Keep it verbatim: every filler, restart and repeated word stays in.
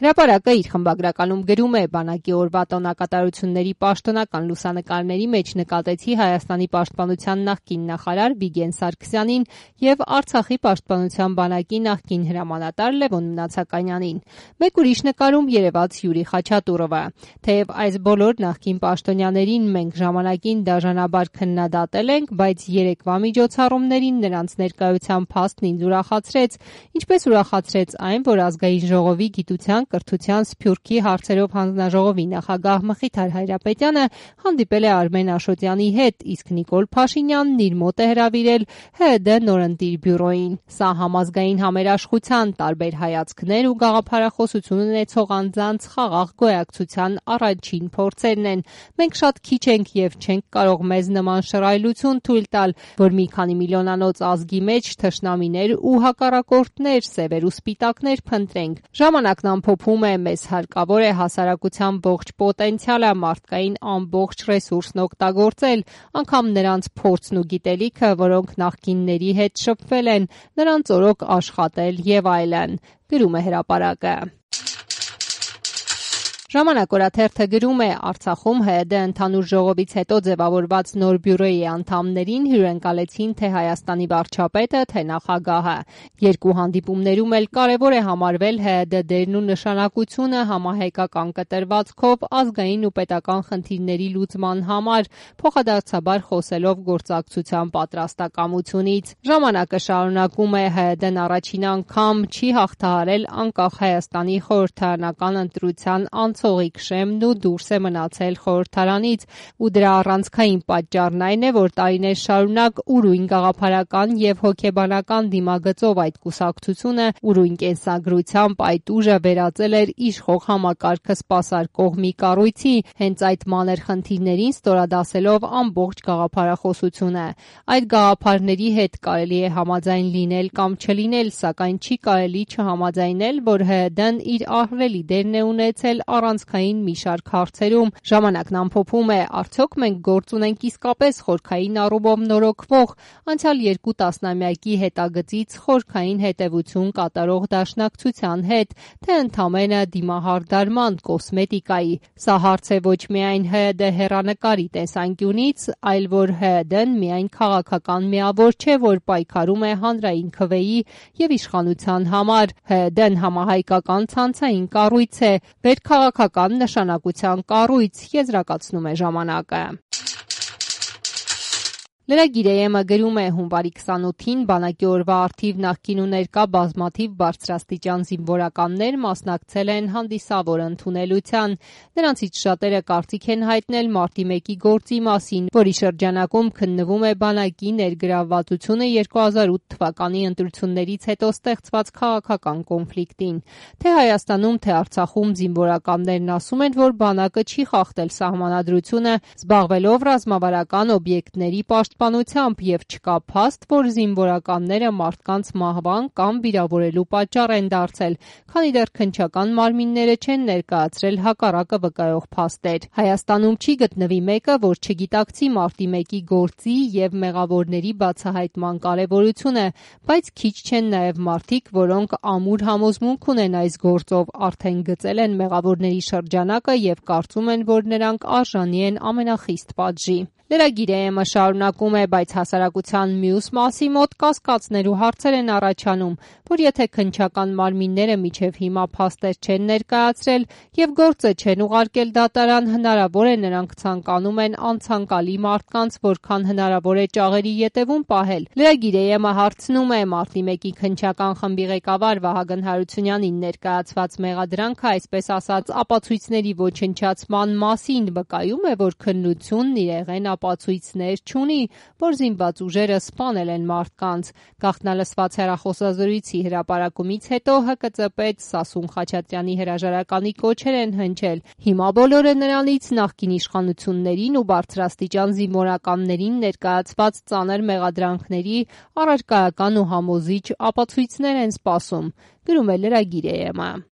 Հրապարակը իր խմբագրականում գրում է. բանակի օրվա տոնակատարությունների պաշտոնական լուսանկարների մեջ նկատեցի Հայաստանի պաշտպանության նախկին նախարար Վիգեն Սարգսյանին և Արցախի պաշտպանության բանակի նախկին հրամանատար Լևոն Մնացականյանին։ Մեկ ուրիշ նկարում երևաց Յուրի Խաչատուրովը։ Թեև այս բոլոր նախկին պաշտոնյաներին մենք ժամանակին դաժանաբար քննադատել ենք, բայց երեկվա միջոցառումներին նրանց ներկայության փաստն ինձ ուրախացրեց, ինչպես ուրախացրեց այն, որ Ազգային ժողովի գիտության, կրթության, սփյուռքի հարցերով հանձնաժողովի նախագահ Մխիթար Հայրապետյանը հանդիպել է Արմեն Աշոտյանի հետ, իսկ Նիկոլ Փաշինյանն իր մոտ է հրավիրել ՀՅԴ նորընտիր բյուրոյին։ Սա համազգային համերաշխության, տարբեր հայացքներ ու գաղափարախոսություն ունեցող անձանց խաղաղ գոյակցության առաջին փորձերն են։ Մենք շատ քիչ ենք և չենք կարող մեզ նման շռայլություն թույլ տալ, որ մի քանի միլիոնանոց ազգի մեջ թշնամիներ ու հակառակորդներ, սևեր ու սպիտակներ փնտրենք։ Ժամանակն ամփոփում է, մեզ հարկավոր է հասարակության ողջ պոտենցիալը, մարդկային ամբողջ ռեսուրսն օգտագործել, անգամ նրանց փորձն ու գիտելիքը, որոնք նախկինների հետ շփվել են, նրանց օրոք աշխատել և այլն, գրում է հրապարակը։ Ժամանակ օրաթերթը գրում է. Արցախում ՀՅԴ ընդհանուր ժողովից հետո ձևավորված նոր բյուրոյի անդամներին հյուրընկալեցին թե Հայաստանի վարչապետը, թե նախագահը։ Երկու հանդիպումներում էլ կարևոր է համարվել ՀՅԴ դերն ու նշանակությունը համահայկական կտրվածքով ազգային ու պետական խնդիրների լուծման համար, փոխադարձաբար խոսելով գործակցության պատրաստակամությունից։ Ժամանակը շարունակում է. ՀՅԴ-ն առաջին անգամ չի հաղթահարել անկախ Հայաստանի խորհրդարանական ընտրության ցողիկ շեմն ու դուրս է մնացել խորհրդարանից, ու դրա առանցքային պատճառն այն է, որ տարիներ շարունակ ուրույն գաղափարական և հոգեբանական դիմագծով այդ կուսակցությունը ուրույն կենսագրությամբ այդ ուժը վերածել էր իշխող համակարգը սպասարկող մի կառույցի, հենց այդ մանր խնդիրներին ստորադասելով ամբողջ գաղափարախոսությունը։ Այդ գաղափարների հետ կարելի է համաձայն լինել կամ չլինել, սակայն չի կարելի չհամաձայնել, որ ՀՅԴ-ն իր ահռելի դերն է ունեցել առանցքային մի շարք հարցերում։ Ժամանակն ամփոփում է. արդյոք մենք գործ ունենք իսկապես խորքային առումով նորոգվող, անցյալ երկու տասնամյակի հետագծից խորքային հետևություն կատարող դաշնակցության հետ, թե ընդամենը դիմահարդարման, կոսմետիկայի։ Սա հարց է ոչ միայն ՀՅԴ հեռանկարի տեսանկյունից, այլ որ ՀՅԴ-ն միայն քաղաքական միավոր չէ, որ պայքարում է հանրային քվեի և իշխանության համար։ ՀՅԴ-ն համահայկական ցանցային կառույց է, վերքաղաքական նշանակության կառույց, եզրակացնում է ժամանակը։ Լրագիր.am-ը գրում է. հունվարի քսանութին բանակի օրվա առթիվ նախկին ու ներկա բազմաթիվ բարձրաստիճան զինվորականներ մասնակցել են հանդիսավոր ընդունելության։ Նրանցից շատերը կարծիք են հայտնել մարտի մեկի գործի մասին, որի շրջանակում քննվում է բանակի ներգրավվածությունը երկու հազար ութ թվականի ընտրություններից հետո ստեղծված քաղաքական կոնֆլիկտին։ Թե Հայաստանում, թե Արցախում զինվորականներն ասում են, որ բանակը չի խախտել սահմանադրությունը, զբաղվելով ռազմավարական օբյեկտների պաշտպանությամբ, և չկա փաստ, որ զինվորականները մարդկանց մահվան կամ վիրավորելու պատճառ են դարձել, քանի դեռ քննչական մարմինները չեն ներկայացրել հակառակը վկայող փաստեր։ Հայաստանում չի գտնվի մեկը, որ չգիտակցի մարտի մեկի գործի և մեղավորների բացահայտման կարևորությունը, բայց քիչ չեն նաև մարդիկ, որոնք ամուր համոզմունք ունեն այս գործով, արդեն գծել են մեղավորների շրջանակը և կարծում են, որ նրանք արժանի են ամենախիստ պատժի։ Լրագիր.am-ը շարունակում է. բայց հասարակության մյուս մասի մոտ կասկածներ ու հարցեր են առաջանում, որ եթե քննչական մարմինները մինչև հիմա փաստեր չեն ներկայացրել և գործը չեն ուղարկել դատարան, հնարավոր է նրանք ցանկանում են անցանկալի մարդկանց որքան հնարավոր է ճաղերի ետևում պահել։ Լրագիր.am-ը հարցնում է. մարտի մեկի քննչական խմբի ղեկավար Վահագն Հարությունյանին ներկայացված մեղադրանքը, այսպես ասած, ապացույցների ոչնչացման մասին վկայում է, որ քննությունն իրեղեն ապացույցներ չունի, որ զինված ուժերը սպանել են մարդկանց։ Գաղտնալսված հեռախոսազրույցի հրապարակումից հետո ՀԿԾ պետ Սասուն Խաչատրյանի հրաժարականի կոչեր են հնչել։ Հիմա բոլորը նրանից նախկին իշխանություններին ու բարձրաստիճան զինվորականներին ներկայացված ծանր մեղադրանքների առարկայական ու համոզիչ ապացույցներ են սպասում, գրում է Լրագիր.am-ը։